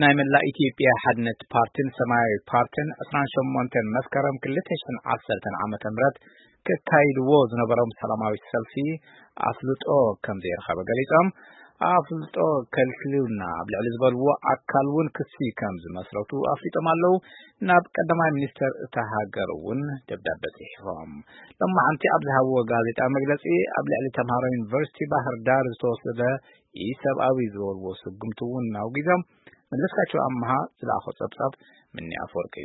ናይ መላእ ኢትዮጵያ ሓድነት ፓርቲን ሰማያዊ ፓርቲን ዕስራን ሸሞንተን መስከረም ክልተ ሽሕን ዓሰርተን ዓመተ ምህረት ከካይድዎ ዝነበሮም ሰላማዊ ሰልፊ ኣፍልጦ ከም ዘይረኸበ ገሊጾም፣ ኣፍልጦ ከልክሉና ኣብ ልዕሊ ዝበልዎ ኣካል እውን ክሲ ከም ዝመስረቱ ኣፍሊጦም ኣለዉ። ናብ ቀዳማይ ሚኒስተር እታ ሃገር እውን ደብዳበ ጽሒፎም። ሎማዓንቲ ኣብ ዝሃብዎ ጋዜጣ መግለጺ፣ ኣብ ልዕሊ ተምሃሮ ዩኒቨርሲቲ ባህር ዳር ዝተወሰደ ኢሰብኣዊ ዝበልዎ ስጉምቲ እውን ኣውጊዞም። መለስካቸው ኣምሃ ዝለኣኾ ጸብጻብ ምኒ ኣፈወርቂ።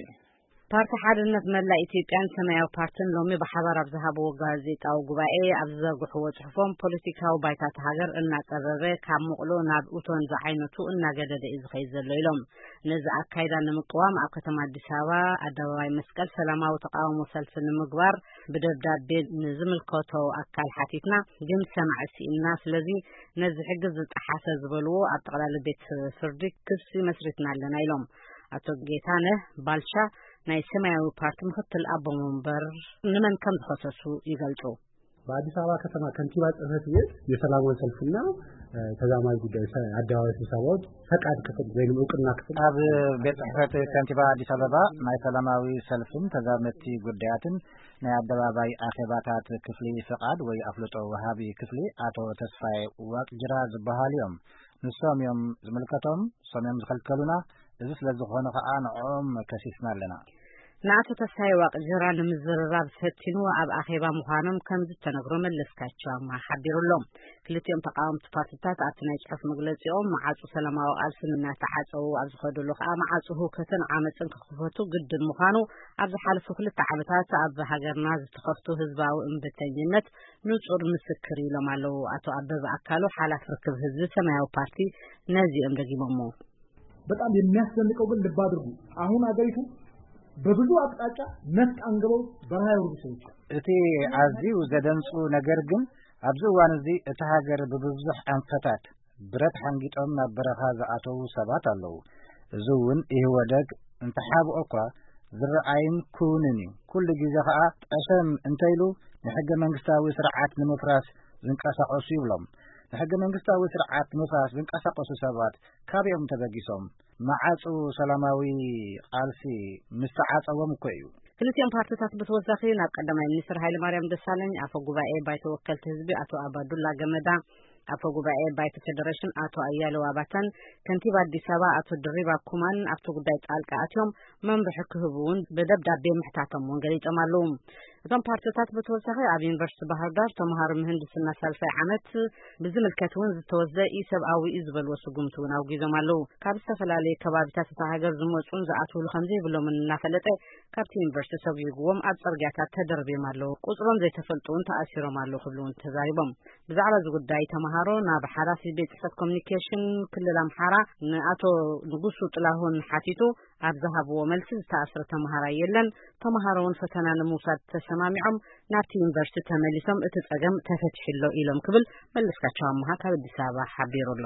ፓርቲ ሓድነት መላእ ኢትዮጵያን ሰማያዊ ፓርቲን ሎሚ ብሓባር ኣብ ዝሃብዎ ጋዜጣዊ ጉባኤ ኣብ ዝዘርግሕዎ ጽሑፎም፣ ፖለቲካዊ ባይታ እታ ሃገር እናጸበበ፣ ካብ ምቕሎ ናብ እቶን ዝዓይነቱ እናገደደ እዩ ዝኸይድ ዘሎ ኢሎም። ነዚ ኣካይዳ ንምቅዋም ኣብ ከተማ ኣዲስ ኣበባ ኣደባባይ መስቀል ሰላማዊ ተቃውሞ ሰልፊ ንምግባር ብደብዳቤ ንዝምልከቶ ኣካል ሓቲትና፣ ግን ሰማዒ ስኢንና። ስለዚ ነዚ ሕጊ ዝጠሓሰ ዝበልዎ ኣብ ጠቕላሊ ቤት ፍርዲ ክሲ መስሪትና ኣለና ኢሎም። ኣቶ ጌታነህ ባልቻ ናይ ሰማያዊ ፓርቲ ምክትል ኣቦ መንበር ንመን ከም ዝኸሰሱ ይገልጹ። በአዲስ አበባ ከተማ ከንቲባ ጽሕፈት ቤት የሰላማዊ ሰልፍና ተዛማጅ ጉዳይ አደባባይ ስብሰባዎች ፈቃድ ክፍል ወይም እውቅና ክፍል ኣብ ቤት ጽሕፈት ከንቲባ ኣዲስ ኣበባ ናይ ሰላማዊ ሰልፍን ተዛመድቲ ጉዳያትን ናይ ኣደባባይ ኣኼባታት ክፍሊ ፍቓድ ወይ ኣፍልጦ ወሃቢ ክፍሊ ኣቶ ተስፋዬ ዋቅጅራ ዝበሃሉ እዮም። ንሶም እዮም ዝምልከቶም፣ ንሶም እዮም ዝኸልከሉና። እዚ ስለ ዝኾነ ኸኣ ንዕኦም ከሲስና ኣለና። ንኣቶ ተስፋዬ ዋቅጅራ ንምዝርራብ ፈቲኑ ኣብ ኣኼባ ምዃኖም ከም ዝተነግሮ መለስካቸው ኣምሃ ሓቢሩ ኣሎ። ክልቲኦም ተቃወምቲ ፓርቲታት ኣብቲ ናይ ጽሑፍ መግለጺኦም፣ መዓጹ ሰላማዊ ቃልሲ እናተዓጸዉ ኣብ ዝኸድሉ ከኣ፣ መዓጹ ህውከትን ዓመጽን ክኽፈቱ ግድን ምዃኑ ኣብ ዝሓለፉ ክልተ ዓመታት ኣብ ሃገርና ዝተኸፍቱ ህዝባዊ እምብተኝነት ንጹር ምስክር ኢሎም ኣለዉ። ኣቶ ኣበበ ኣካሉ፣ ሓላፊ ርክብ ህዝቢ ሰማያዊ ፓርቲ፣ ነዚኦም ደጊሞሞ። በጣም የሚያስደንቀው ግን ልብ አድርጉ፣ አሁን አገሪቱ በብዙ አቅጣጫ ነፍጥ አንግበው በረሃ የወረዱ ሰዎች አሉ። እቲ ኣዝዩ ዘደንጹ ነገር ግን ኣብዚ እዋን እዚ እታ ሃገር ብብዙሕ ኣንፈታት ብረት ሓንጊጦም ናብ በረኻ ዝኣተዉ ሰባት ኣለዉ። እዚ እውን ኢህወደግ እንተሓብኦ እኳ ዝረኣይን ክውንን እዩ። ኩሉ ግዜ ኸኣ ጠሸም እንተኢሉ ንሕገ መንግስታዊ ስርዓት ንምፍራስ ዝንቀሳቐሱ ይብሎም። ንሕገ መንግስታዊ ስርዓት ንምፍራስ ዝንቀሳቐሱ ሰባት ካበይ እዮም ተበጊሶም? መዓጹ ሰላማዊ ቃልሲ ምስ ተዓጸዎም እኮ እዩ። ክልቲኦም ፓርቲታት ብተወሳኺ ናብ ቀዳማይ ሚኒስትር ሃይለማርያም ደሳለኝ፣ ኣፈ ጉባኤ ባይቶ ወከልቲ ህዝቢ ኣቶ ኣባዱላ ገመዳ፣ ኣፈ ጉባኤ ባይቶ ፌዴሬሽን ኣቶ ኣያሌው ኣባተን ከንቲባ ኣዲስ ኣበባ ኣቶ ድሪባ ኩማን ኣብቲ ጉዳይ ጣልቃ ኣትዮም መምርሒ ክህቡ እውን ብደብዳቤ ምሕታቶም እውን ገሊጾም ኣለዉ። እቶም ፓርቲታት ብተወሳኺ ኣብ ዩኒቨርሲቲ ባህር ዳር ተምሃሮ ምህንድስና ሳልሳይ ዓመት ብዝምልከት እውን ዝተወስደ ኢሰብኣዊ እዩ ዝበልዎ ስጉምቲ እውን ኣውጊዞም ኣለዉ። ካብ ዝተፈላለዩ ከባቢታት እታ ሃገር ዝመጹን ዝኣትውሉ ከም ዘይብሎምን እናፈለጠ፣ ካብቲ ዩኒቨርሲቲ ሰጒግዎም ኣብ ጽርግያታት ተደርብዮም ኣለዉ። ቁጽሮም ዘይተፈልጡ እውን ተኣሲሮም ኣለዉ ክብሉ እውን ተዛሪቦም። ብዛዕባ እዚ ጉዳይ ተምሃሮ ናብ ሓላፊ ቤት ጽሕፈት ኮሚኒኬሽን ክልል ኣምሓራ ንኣቶ ንጉሱ ጥላሁን ሓቲቱ ኣብ ዝሃብዎ መልሲ፣ ዝተኣስረ ተምሃራይ የለን፣ ተምሃሮ እውን ፈተና ንምውሳድ ተሰማሚዖም ናብቲ ዩኒቨርሲቲ ተመሊሶም እቲ ጸገም ተፈቲሑ ኣሎ ኢሎም ክብል መለስካቸው ኣምሃ ካብ ኣዲስ ኣበባ ሓቢሩ ኣሎ።